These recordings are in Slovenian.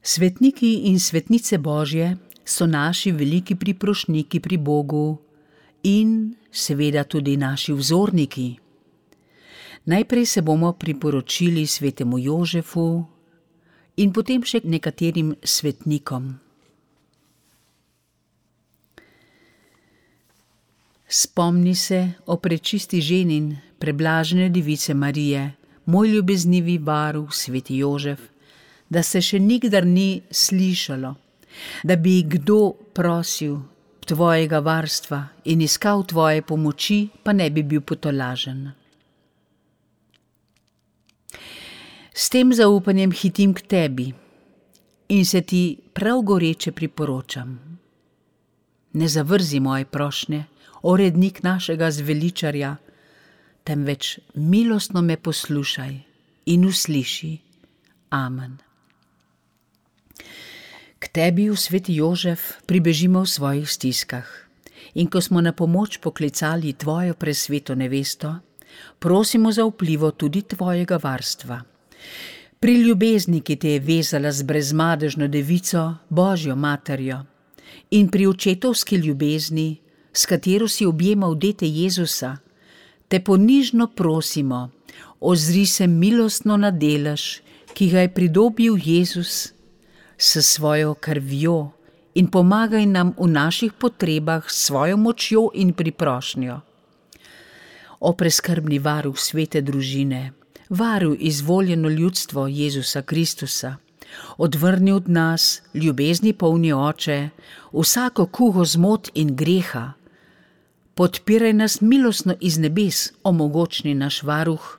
Svetniki in svetnice Božje so naši veliki priprošniki pri Bogu in seveda tudi naši vzorniki. Najprej se bomo priporočili svetemu Jožefu in potem še nekaterim svetnikom. Spomni se o prečisti ženin, preblažene device Marije, moj ljubeznivi varuh, sveti Jožef, da se še nikdar ni slišalo, da bi kdo prosil tvojega varstva in iskal tvoje pomoči, pa ne bi bil potolažen. S tem zaupanjem hitim k tebi in se ti prav goreče priporočam. Ne zavrzi moje prošnje, o rednik našega zveličarja, temveč milostno me poslušaj in usliši. Amen. K tebi, v sveti Jožef, pribežimo v svojih stiskah in ko smo na pomoč poklicali tvojo presveto nevesto, prosimo za vplivo tudi tvojega varstva. Pri ljubezni, ki te je vezala z brezmadežno devico, Božjo materjo, in pri očetovski ljubezni, s katero si objemal dete Jezusa, te ponižno prosimo, ozri se milostno na delež, ki ga je pridobil Jezus s svojo krvjo in pomagaj nam v naših potrebah s svojo močjo in priprošnjo. O preskrbni varuh svete družine, varuj izvoljeno ljudstvo Jezusa Kristusa, odvrni od nas, ljubezni polni Oče, vsako kugo zmot in greha. Podpiraj nas milostno iz nebes, o mogočni naš varuh,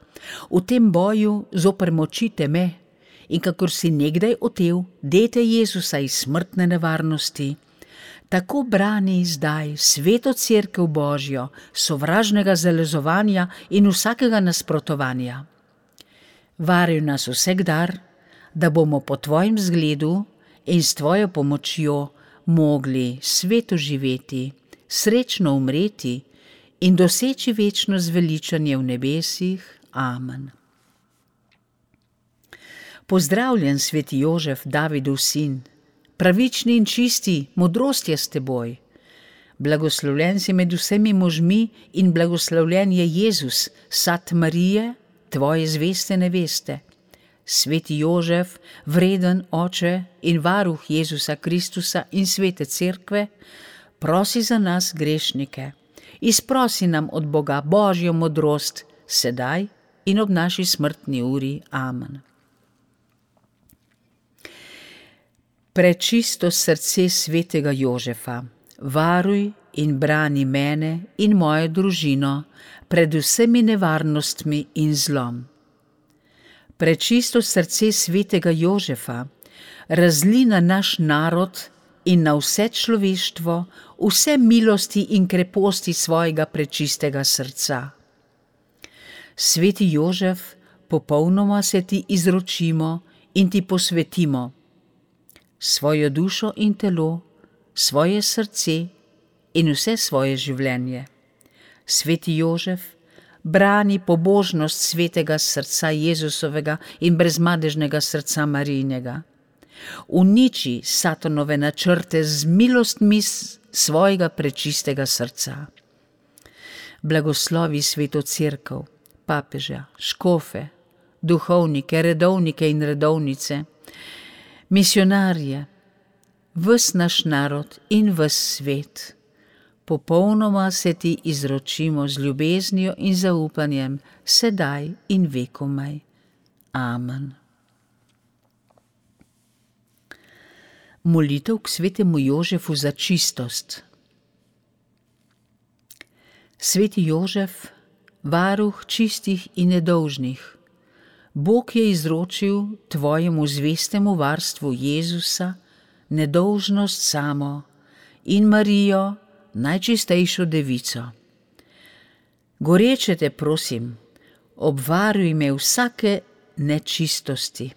v tem boju zoper moči teme in kakor si nekdaj otel dete Jezusa iz smrtne nevarnosti, tako brani zdaj sveto cerkev Božjo, sovražnega zalezovanja in vsakega nasprotovanja. Varuj nas vsakdar, da bomo po tvojim zgledu in s tvojo pomočjo mogli sveto živeti, srečno umreti in doseči večno zveličanje v nebesih. Amen. Pozdravljen, sveti Jožef, Davidov sin, pravični in čisti, modrost je s teboj. Blagoslovljen si med vsemi možmi in blagoslovljen je Jezus, sad Marije, tvoje zveste neveste. Sveti Jožef, vreden oče in varuh Jezusa Kristusa in svete cerkve, prosi za nas grešnike, izprosi nam od Boga Božjo modrost, sedaj in ob naši smrtni uri. Amen. Prečisto srce svetega Jožefa, varuj in brani mene in mojo družino pred vsemi nevarnostmi in zlom. Prečisto srce svetega Jožefa, razli na naš narod in na vse človeštvo vse milosti in kreposti svojega prečistega srca. Sveti Jožef, popolnoma se ti izročimo in ti posvetimo svojo dušo in telo, svoje srce in vse svoje življenje. Sveti Jožef, brani pobožnost svetega srca Jezusovega in brezmadežnega srca Marijinega. Uniči satanove načrte z milostmi svojega prečistega srca. Blagoslovi sveto cerkev, papeža, škofe, duhovnike, redovnike in redovnice, misionarje, ves naš narod in ves svet. Popolnoma se ti izročimo z ljubeznijo in zaupanjem, sedaj in vekomaj. Amen. Molitev k svetemu Jožefu za čistost. Sveti Jožef, varuh čistih in nedolžnih, Bog je izročil tvojemu zvestemu varstvu Jezusa nedolžnost samo in Marijo, najčistejšo devico. Goreče te prosim, obvaruj me vsake nečistosti.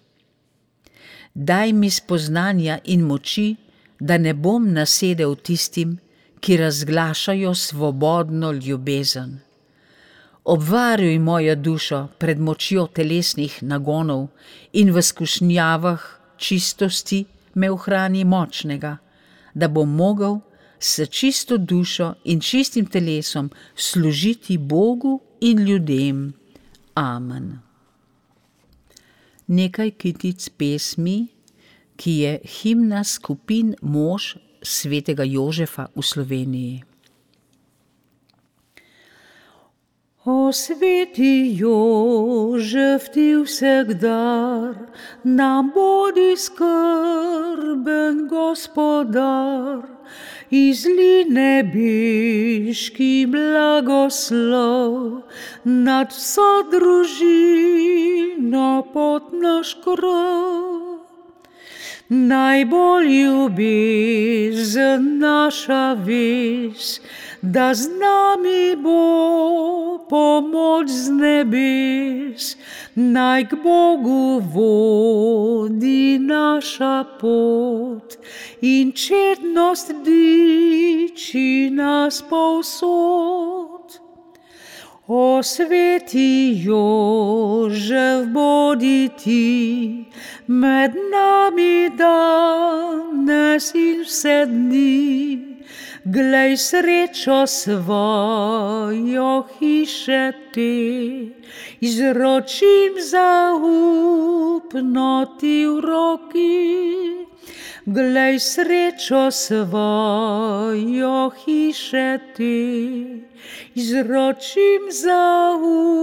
Daj mi spoznanja in moči, da ne bom nasedel tistim, ki razglašajo svobodno ljubezen. Obvaruj mojo dušo pred močjo telesnih nagonov in v skušnjavah čistosti me ohrani močnega, da bom mogel s čisto dušo in čistim telesom služiti Bogu in ljudem. Amen. Nekaj kitic pesmi, ki je himna skupin mož svetega Jožefa v Sloveniji. O sveti Jožef, ti vsegdar nam bodi skrben gospodar, izli nebeški blagoslov nad vso družino pod naš krov. Najbolj ljubezen naša vez, da z nami bo pomoč z nebes, naj k Bogu vodi naša pot in čednost diči nas povsod. O sveti Jožef, bodi ti med nami danes in vse dni. Glej srečo svojo hiše te, izročim zaupno ti v roki. Glej srečo svojo hiše te, izročim zaupno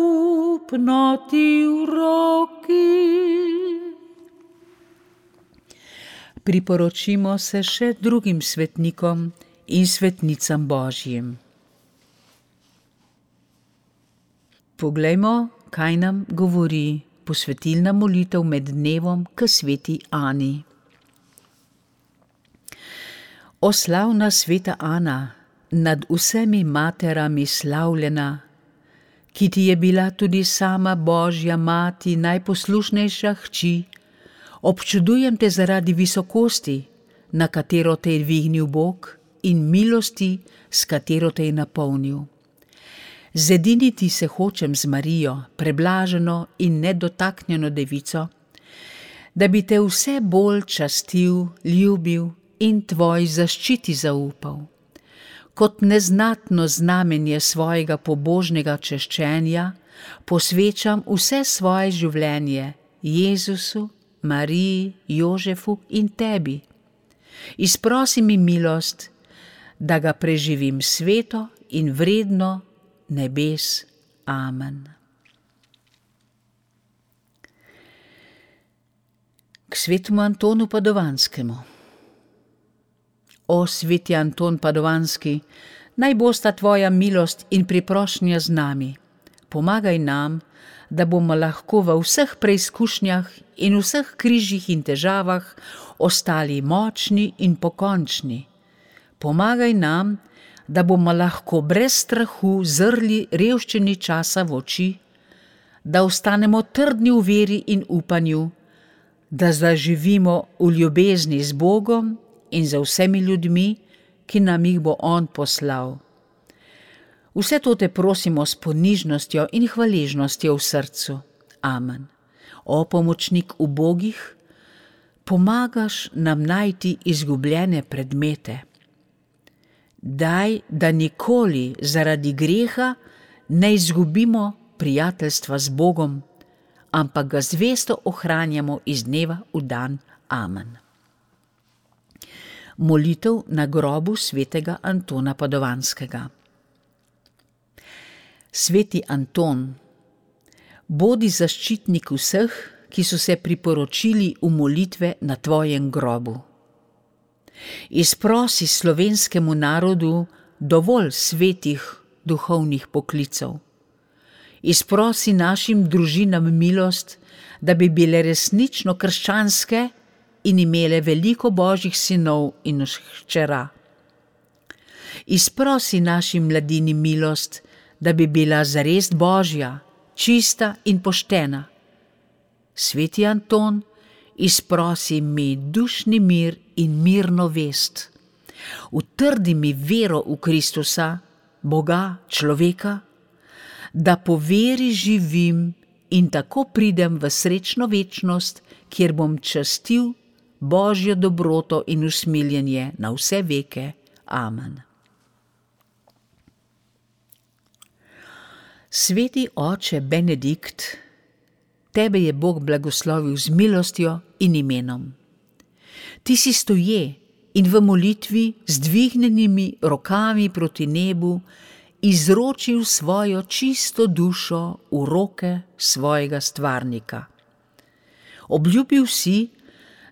ti v roki. Priporočimo se še drugim svetnikom in svetnicam Božjim. Poglejmo, kaj nam govori posvetilna molitev med dnevom k sveti Ani. O slavna sveta Ana, nad vsemi materami slavljena, ki ti je bila tudi sama Božja mati, najposlušnejša hči, občudujem te zaradi visokosti, na katero te je dvignil Bog, in milosti, s katero te je napolnil. Zediniti se hočem z Marijo, preblaženo in nedotaknjeno devico, da bi te vse bolj častil, ljubil in tvoj zaščiti zaupal. Kot neznatno znamenje svojega pobožnega češčenja posvečam vse svoje življenje Jezusu, Mariji, Jožefu in tebi. Izprosi mi milost, da ga preživim sveto in vredno nebes. Amen. K svetemu Antonu Padovanskemu. O sveti Anton Padovanski, naj bosta tvoja milost in priprošnja z nami. Pomagaj nam, da bomo lahko v vseh preizkušnjah in vseh križih in težavah ostali močni in pokončni. Pomagaj nam, da bomo lahko brez strahu zrli revščini časa v oči, da ostanemo trdni v veri in upanju, da zaživimo v ljubezni z Bogom in za vsemi ljudmi, ki nam jih bo On poslal. Vse to te prosimo s ponižnostjo in hvaležnostjo v srcu. Amen. O pomočnik ubogih, pomagaš nam najti izgubljene predmete. Daj, da nikoli zaradi greha ne izgubimo prijateljstva z Bogom, ampak ga zvesto ohranjamo iz dneva v dan. Amen. Molitev na grobu svetega Antona Padovanskega. Sveti Anton, bodi zaščitnik vseh, ki so se priporočili v molitve na tvojem grobu. Izprosi slovenskemu narodu dovolj svetih duhovnih poklicev. Izprosi našim družinam milost, da bi bile resnično krščanske in imele veliko Božjih sinov in hčera. Izprosi naši mladini milost, da bi bila zares Božja, čista in poštena. Sveti Anton, izprosi mi dušni mir in mirno vest. Utrdi mi vero v Kristusa, Boga, človeka, da po veri živim in tako pridem v srečno večnost, kjer bom častil Božjo dobroto in usmiljenje na vse veke. Amen. Sveti oče Benedikt, tebe je Bog blagoslovil z milostjo in imenom. Ti si stoje in v molitvi z dvignjenimi rokami proti nebu izročil svojo čisto dušo v roke svojega stvarnika. Obljubil si,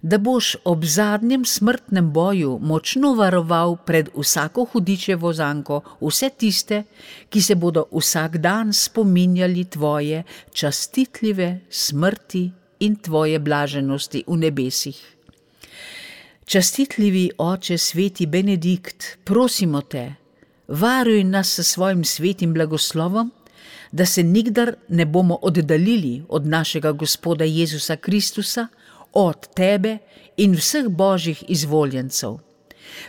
da boš ob zadnjem smrtnem boju močno varoval pred vsako hudičevo zanko vse tiste, ki se bodo vsak dan spominjali tvoje častitljive smrti in tvoje blaženosti v nebesih. Častitljivi oče sveti Benedikt, prosimo te, varuj nas s svojim svetim blagoslovom, da se nikdar ne bomo oddaljili od našega Gospoda Jezusa Kristusa, od tebe in vseh božjih izvoljencev.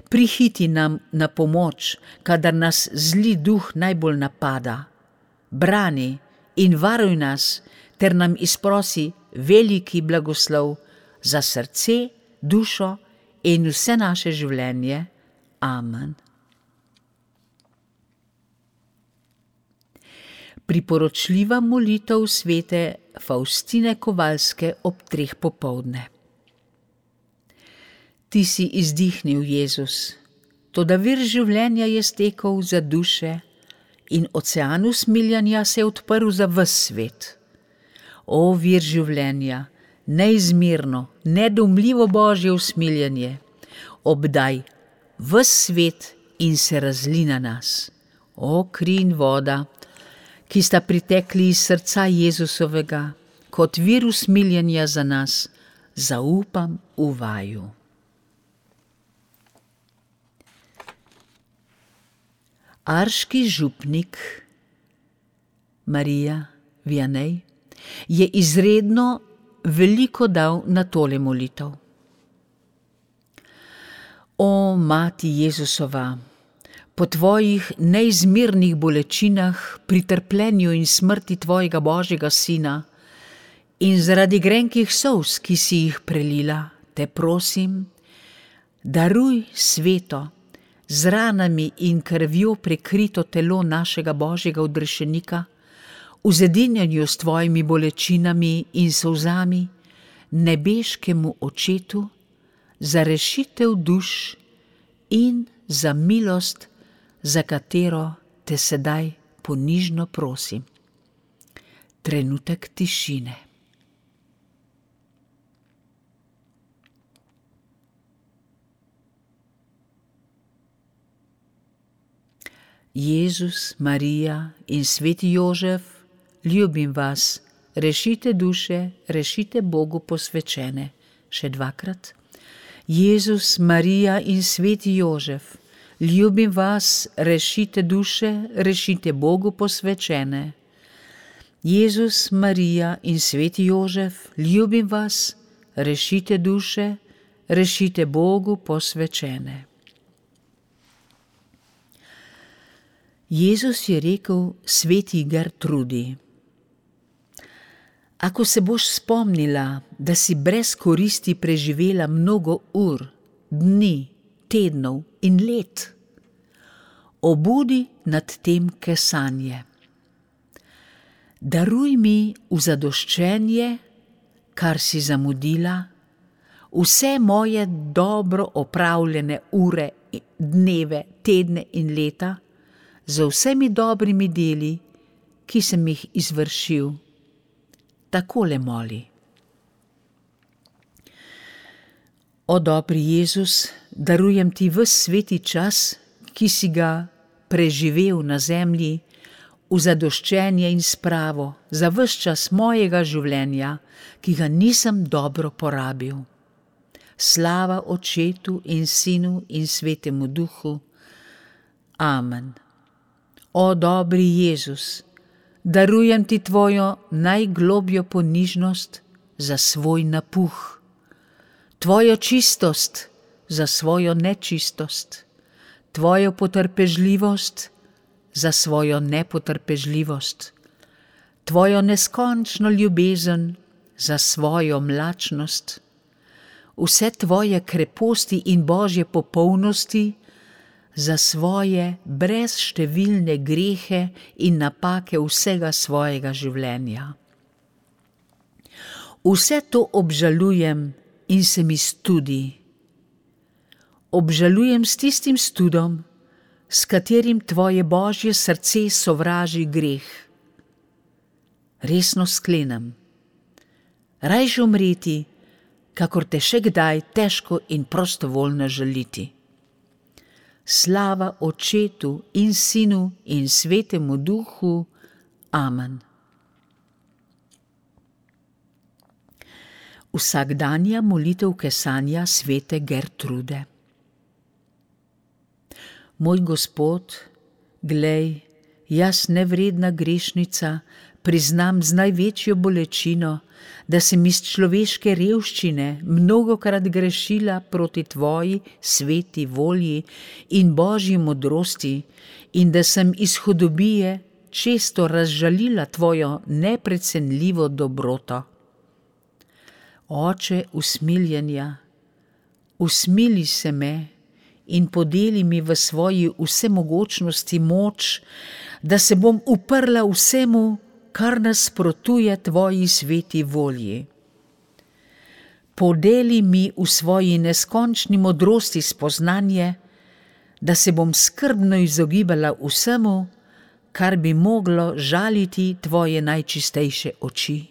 Prihiti nam na pomoč, kadar nas zli duh najbolj napada. Brani in varuj nas, ter nam izprosi veliki blagoslov za srce, dušo in vse naše življenje. Amen. Priporočljiva molitev svete Faustine Kovalske ob 3 popoldne. Ti si izdihnil, Jezus, toda vir življenja je stekel za duše in ocean usmiljanja se je odprl za ves svet. O vir življenja, neizmerno, nedoumljivo Božje usmiljanje, obdaj ves svet in se razli na nas. O kri in voda, ki sta pritekli iz srca Jezusovega, kot vir usmiljenja za nas, zaupam v vaju. Arški župnik Marija Vianney je izredno veliko dal na tole molitev. O Mati Jezusova, po tvojih neizmernih bolečinah, pri trpljenju in smrti tvojega Božjega Sina in zaradi grenkih solz, ki si jih prelila, te prosim, daruj sveto, z ranami in krvjo prekrito telo našega Božjega odrešenika, v zedinjenju s tvojimi bolečinami in solzami, nebeškemu Očetu, za rešitev duš in za milost, za katero te sedaj ponižno prosim. Trenutek tišine. Jezus, Marija in sveti Jožef, ljubim vas, rešite duše, rešite Bogu posvečene. Še 2-krat. Jezus, Marija in sveti Jožef, ljubim vas, rešite duše, rešite Bogu posvečene. Jezus, Marija in sveti Jožef, ljubim vas, rešite duše, rešite Bogu posvečene. Jezus je rekel sveti Gertrudi: Ako se boš spomnila, da si brez koristi preživela mnogo ur, dni, tednov in let, obudi nad tem kesanje. Daruj mi v zadoščenje, kar si zamudila, vse moje dobro opravljene ure, dneve, tedne in leta, z vsemi dobrimi deli, ki sem jih izvršil. Takole moli: O dobri Jezus, darujem ti ves sveti čas, ki si ga preživel na zemlji, v zadoščenje in spravo za ves čas mojega življenja, ki ga nisem dobro porabil. Slava Očetu in Sinu in Svetemu Duhu. Amen. O dobri Jezus, darujem ti tvojo najglobljo ponižnost za svoj napuh, tvojo čistost za svojo nečistost, tvojo potrpežljivost za svojo nepotrpežljivost, tvojo neskončno ljubezen za svojo mlačnost, vse tvoje kreposti in Božje popolnosti za svoje brezštevilne grehe in napake vsega svojega življenja. Vse to obžalujem in se mi studi. Obžalujem s tistim studom, s katerim tvoje Božje srce sovraži greh. Resno sklenem, rajše umreti, kakor te še kdaj težko in prostovoljno žaliti. Slava Očetu in Sinu in Svetemu Duhu. Amen. Vsakdanja molitev kesanja svete Gertrude. Moj Gospod, glej, jaz nevredna grešnica priznam z največjo bolečino, da sem iz človeške revščine mnogokrat grešila proti tvoji sveti volji in Božji modrosti in da sem iz hudobije često razžalila tvojo neprecenljivo dobroto. Oče usmiljenja, usmili se me in podeli mi v svoji vsemogočnosti moč, da se bom uprla vsemu, kar nasprotuje tvoji sveti volji. Podeli mi v svoji neskončni modrosti spoznanje, da se bom skrbno izogibala vsemu, kar bi moglo žaliti tvoje najčistejše oči.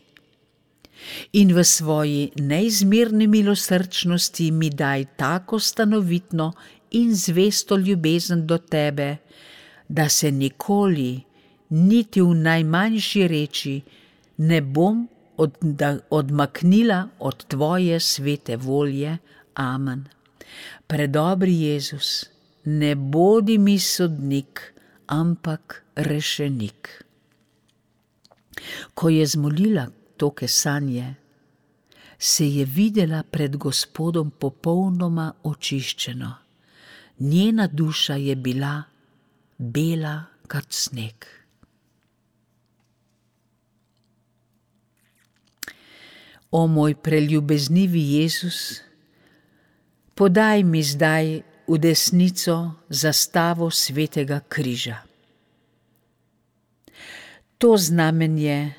In v svoji neizmerni milosrčnosti mi daj tako stanovitno in zvesto ljubezen do tebe, da se nikoli, niti v najmanjši reči, ne bom odmaknila od tvoje svete volje. Amen. Predobri Jezus, ne bodi mi sodnik, ampak rešenik. Ko je zmolila to kesanje, se je videla pred Gospodom popolnoma očiščeno. Njena duša je bila bela kot sneg. O moj preljubeznivi Jezus, podaj mi zdaj v desnico zastavo svetega križa. To znamenje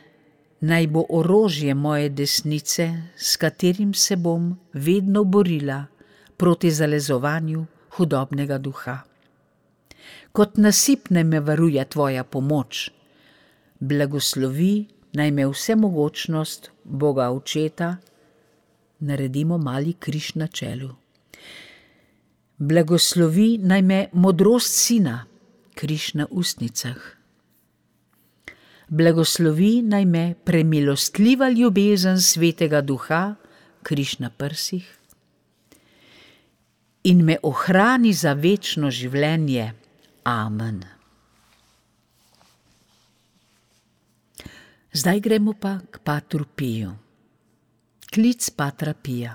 naj bo orožje moje desnice, s katerim se bom vedno borila proti zalezovanju hudobnega duha. Kot nasip naj me varuje tvoja pomoč, blagoslovi naj me vsemogočnost Boga Očeta, naredimo mali križ na čelu. Blagoslovi naj me modrost Sina, križ na ustnicah. Blagoslovi naj me premilostljiva ljubezen Svetega Duha, križ na prsih. In me ohrani za večno življenje. Amen. Zdaj gremo pa k Patru Piju. Klic Patra Pija.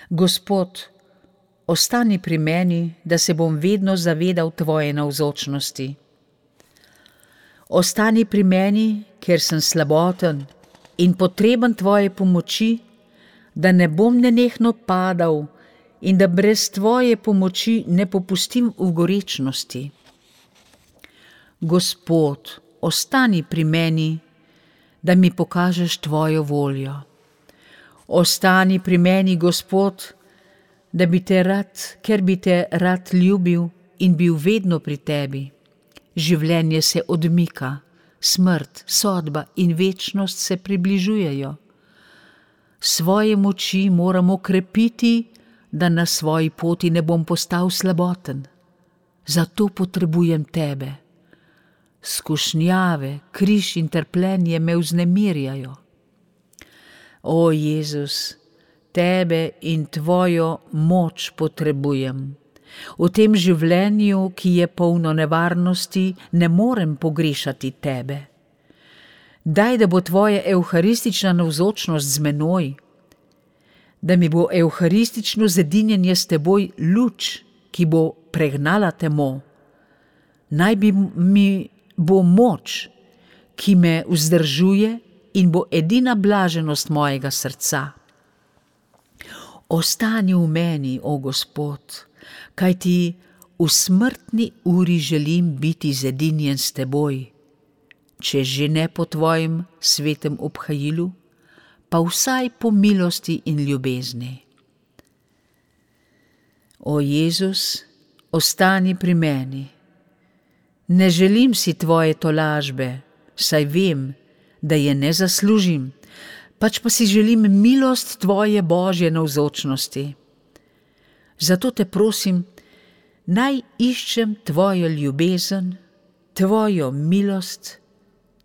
Gospod, ostani pri meni, da se bom vedno zavedal tvoje navzočnosti. Ostani pri meni, ker sem slaboten in potreben tvoje pomoči, da ne bom nenehno padal in da brez tvoje pomoči ne popustim v gorečnosti. Gospod, ostani pri meni, da mi pokažeš tvojo voljo. Ostani pri meni, Gospod, da bi te rad, ker bi te rad ljubil in bil vedno pri tebi. Življenje se odmika, smrt, sodba in večnost se približujejo. Svoje moči moramo krepiti, da na svoji poti ne bom postal slaboten. Zato potrebujem tebe. Skušnjave, križ in trpljenje me vznemirjajo. O Jezus, tebe in tvojo moč potrebujem. V tem življenju, ki je polno nevarnosti, ne morem pogrešati tebe. Daj, da bo tvoja evharistična navzočnost z menoj, da mi bo evharistično zedinjenje s teboj luč, ki bo pregnala temo. Naj mi bo moč, ki me vzdržuje in bo edina blaženost mojega srca. Ostani v meni, o Gospod, kajti v smrtni uri želim biti zedinjen s teboj, če že ne po tvojem svetem obhajilu, pa vsaj po milosti in ljubezni. O Jezus, ostani pri meni. Ne želim si tvoje tolažbe, saj vem, da je ne zaslužim, pač pa si želim milost tvoje Božje navzočnosti. Zato te prosim, naj iščem tvojo ljubezen, tvojo milost,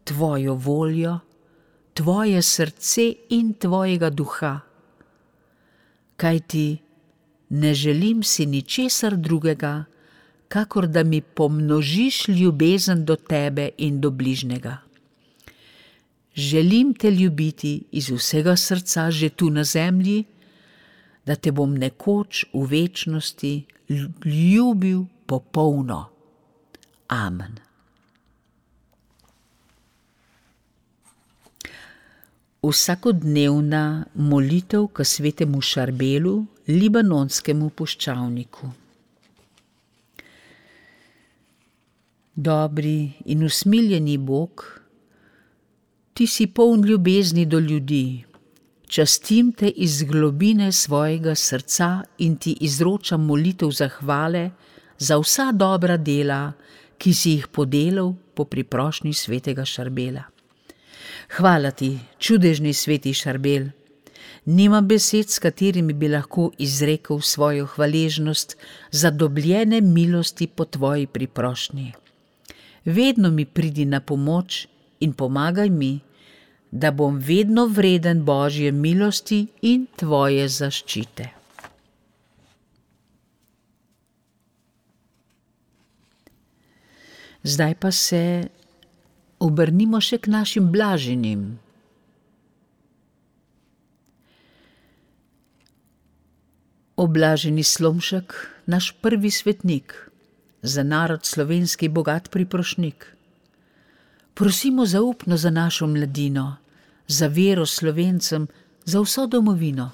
tvojo voljo, tvoje srce in tvojega duha. Kajti ne želim si ničesar drugega, kakor da mi pomnožiš ljubezen do tebe in do bližnjega. Želim te ljubiti iz vsega srca že tu na zemlji, da te bom nekoč v večnosti ljubil popolno. Amen. Vsakodnevna molitev k svetemu Šarbelu, libanonskemu puščavniku. Dobri in usmiljeni Bog, ti si poln ljubezni do ljudi. Častim te iz globine svojega srca in ti izročam molitev zahvale za vsa dobra dela, ki si jih podelal po priprošnji svetega Šarbela. Hvala ti, čudežni sveti Šarbel. Nimam besed, s katerimi bi lahko izrekel svojo hvaležnost za dobljene milosti po tvoji priprošnji. Vedno mi pridi na pomoč in pomagaj mi, da bom vedno vreden Božje milosti in tvoje zaščite. Zdaj pa se obrnimo še k našim blaženim. O blaženi Slomšek, naš prvi svetnik, za narod slovenski bogat priprošnik. Prosimo zaupno za našo mladino, za vero Slovencem, za vso domovino.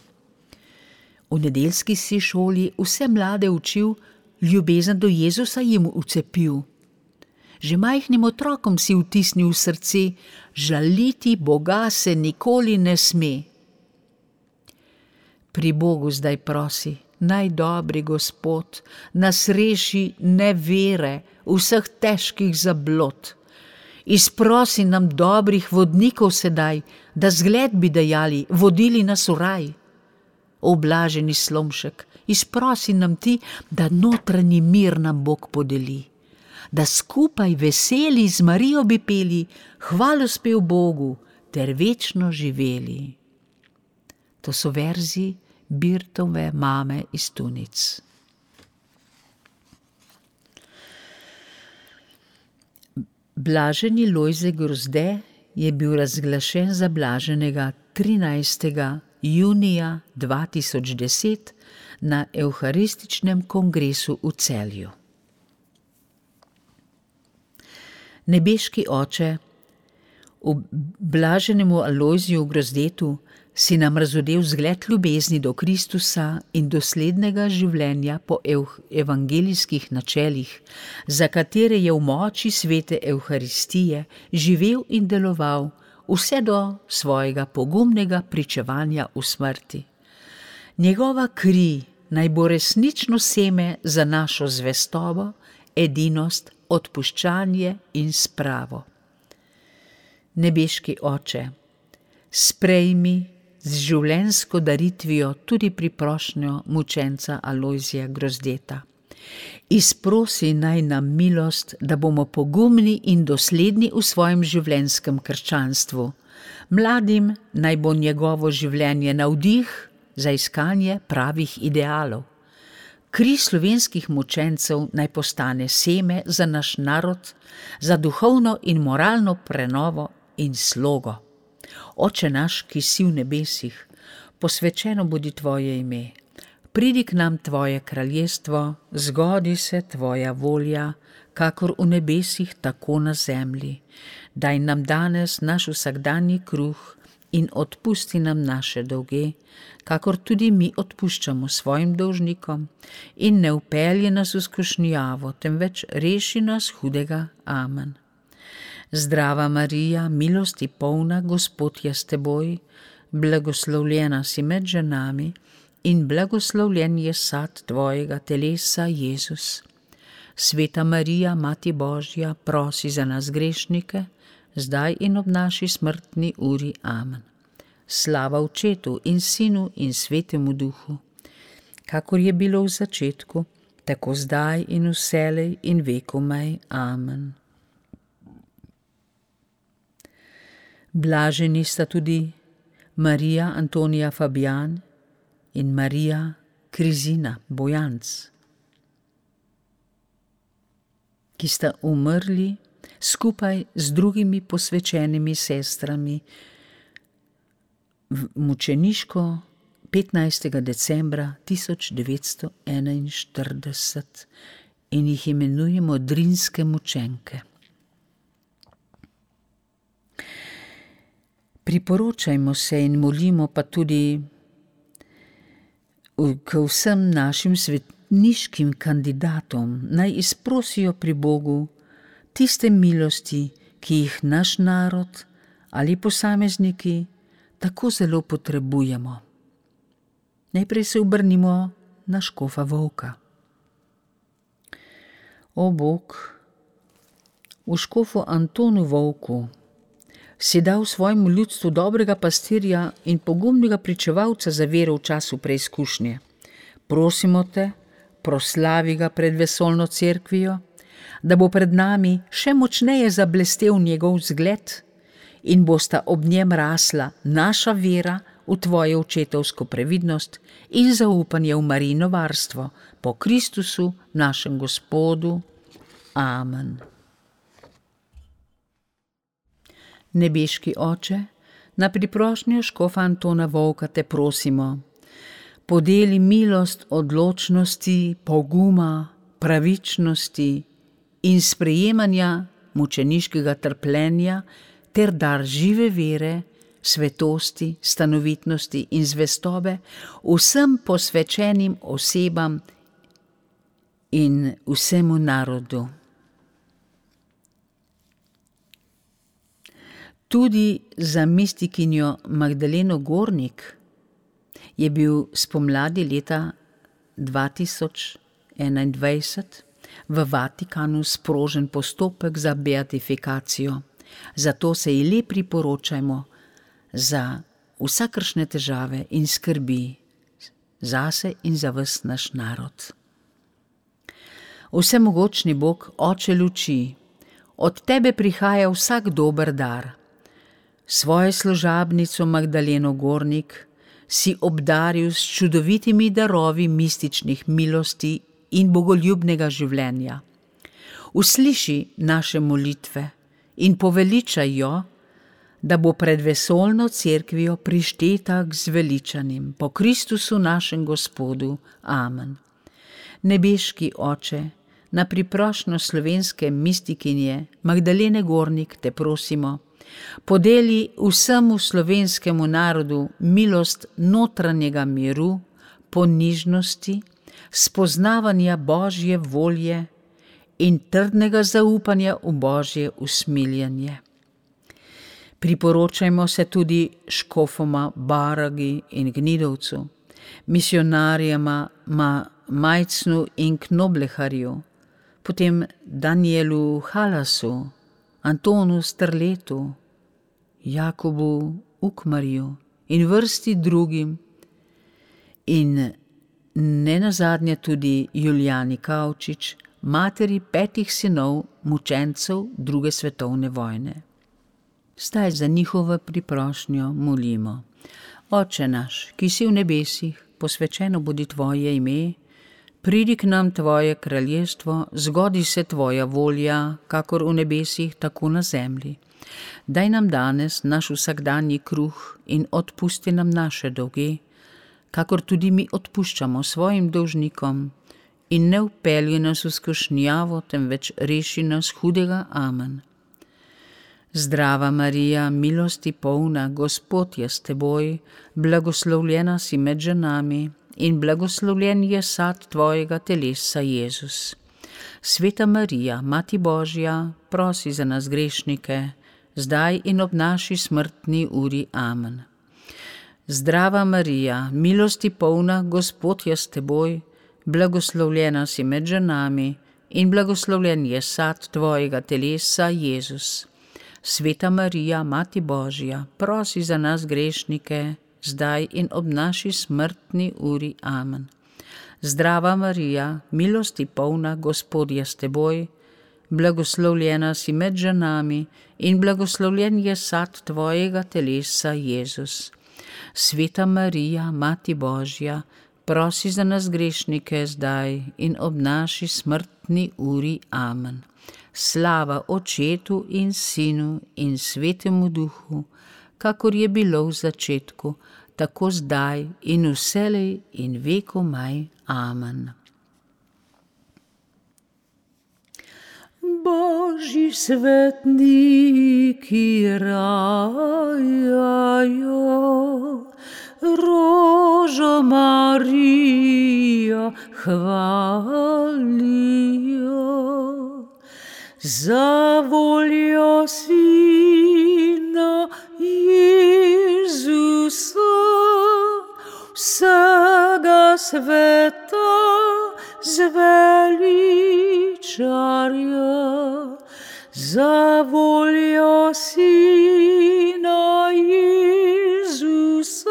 V nedeljski si šoli vse mlade učil, ljubezen do Jezusa jim vcepil. Že majhnim otrokom si vtisnil v srce, žaliti Boga se nikoli ne sme. Pri Bogu zdaj prosi, naj dobri Gospod nas reši nevere, vseh težkih zablod. Izprosi nam dobrih vodnikov sedaj, da zgled bi dajali, vodili nas v raj. O blaženi Slomšek, izprosi nam ti, da notranji mir nam Bog podeli, da skupaj veseli z Marijo bi peli, hvalospev Bogu ter večno živeli. To so verzi Birtove mame iz Tunic. Blaženi Lojze Grozde je bil razglašen za blaženega 13. junija 2010 na Evharističnem kongresu v Celju. Nebeški Oče, v blaženemu Alojziju Grozdetu si nam razodel zgled ljubezni do Kristusa in doslednega življenja po evangelijskih načelih, za katere je v moči svete Evharistije živel in deloval vse do svojega pogumnega pričevanja v smrti. Njegova kri naj bo resnično seme za našo zvestobo, edinost, odpuščanje in spravo. Nebeški Oče, sprejmi z življenjsko daritvijo tudi priprošnjo mučenca Alojzija Grozdeta. Izprosi naj nam milost, da bomo pogumni in dosledni v svojem življenjskem krščanstvu. Mladim naj bo njegovo življenje navdih za iskanje pravih idealov. Kri slovenskih mučencev naj postane seme za naš narod, za duhovno in moralno prenovo in slogo. Oče naš, ki si v nebesih, posvečeno bodi tvoje ime. Pridi k nam tvoje kraljestvo, zgodi se tvoja volja, kakor v nebesih, tako na zemlji. Daj nam danes naš vsakdanji kruh in odpusti nam naše dolge, kakor tudi mi odpuščamo svojim dolžnikom, in ne vpelji nas v skušnjavo, temveč reši nas hudega. Amen. Zdrava Marija, milosti polna, Gospod je s teboj, blagoslovljena si med ženami in blagoslovljen je sad tvojega telesa, Jezus. Sveta Marija, Mati Božja, prosi za nas grešnike, zdaj in ob naši smrtni uri. Amen. Slava Očetu in Sinu in Svetemu Duhu, kakor je bilo v začetku, tako zdaj in vselej in vekomaj. Amen. Blaženi sta tudi Marija Antonija Fabijan in Marija Krizina Bojanc, ki sta umrli skupaj z drugimi posvečenimi sestrami mučeniško 15. decembra 1941 in jih imenujemo Drinske mučenke. Priporočajmo se in molimo pa tudi k vsem našim svetniškim kandidatom, naj izprosijo pri Bogu tiste milosti, ki jih naš narod ali posamezniki tako zelo potrebujemo. Najprej se obrnimo na škofa Volka. O Bog, v škofu Antonu Volku si dal svojemu ljudstvu dobrega pastirja in pogumnega pričevalca za vero v času preizkušnje. Prosimo te, proslavi ga pred vesoljno cerkvijo, da bo pred nami še močneje zablestel njegov zgled in bosta ob njem rasla naša vera v tvojo očetovsko previdnost in zaupanje v Marijino varstvo po Kristusu, našem Gospodu. Amen. Nebeški Oče, na priprošnjo škofa Antona Volka te prosimo, podeli milost odločnosti, poguma, pravičnosti in sprejemanja mučeniškega trpljenja ter dar žive vere, svetosti, stanovitnosti in zvestobe vsem posvečenim osebam in vsemu narodu. Tudi za mistikinjo Magdaleno Gornik je bil spomladi leta 2021 v Vatikanu sprožen postopek za beatifikacijo. Zato se ji le priporočajmo za vsakršne težave in skrbi zase in za ves naš narod. Vsemogočni Bog, Oče luči, od tebe prihaja vsak dober dar. Svojo služabnico Magdaleno Gornik si obdaril s čudovitimi darovi mističnih milosti in bogoljubnega življenja. Usliši naše molitve in poveličaj jo, da bo pred vesoljno cerkvijo prišteta k zveličanim po Kristusu našem Gospodu. Amen. Nebeški Oče, na priprošnjo slovenske mistikinje Magdalene Gornik te prosimo, podeli vsemu slovenskemu narodu milost notranjega miru, ponižnosti, spoznavanja Božje volje in trdnega zaupanja v Božje usmiljenje. Priporočajmo se tudi škofoma Baragi in Gnidovcu, misionarjema Majcnu in Knobleharju, potem Danielu Halasu, Antonu Strletu, Jakobu Ukmarju in vrsti drugim in nenazadnje tudi Julijani Kavčič, materi 5 sinov mučencev 2. svetovne vojne. Zdaj za njihovo priprošnjo molimo. Oče naš, ki si v nebesih, posvečeno bodi tvoje ime, pridi k nam tvoje kraljestvo, zgodi se tvoja volja, kakor v nebesih, tako na zemlji. Daj nam danes naš vsakdanji kruh in odpusti nam naše dolge, kakor tudi mi odpuščamo svojim dolžnikom, in ne vpelji nas v skušnjavo, temveč reši nas hudega. Amen. Zdrava Marija, milosti polna, Gospod je s teboj, blagoslovljena si med ženami in blagoslovljen je sad tvojega telesa, Jezus. Sveta Marija, Mati Božja, prosi za nas grešnike, zdaj in ob naši smrtni uri. Amen. Zdrava Marija, milosti polna, Gospod je s teboj, blagoslovljena si med ženami in blagoslovljen je sad tvojega telesa, Jezus. Sveta Marija, Mati Božja, prosi za nas grešnike, zdaj in ob naši smrtni uri. Amen. Zdrava Marija, milosti polna, Gospod je s teboj, blagoslovljena si med ženami in blagoslovljen je sad tvojega telesa, Jezus. Sveta Marija, Mati Božja, prosi za nas grešnike, zdaj in ob naši smrtni uri. Amen. Slava Očetu in Sinu in Svetemu Duhu, kakor je bilo v začetku, tako zdaj in vselej in vekomaj. Amen. Božji svetniki rajajo, rožo Marijo hvalijo. Za voljo Sina Jezusa, vsega sveta zveličarja. Za voljo Sina Jezusa,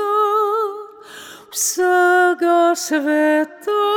vsega sveta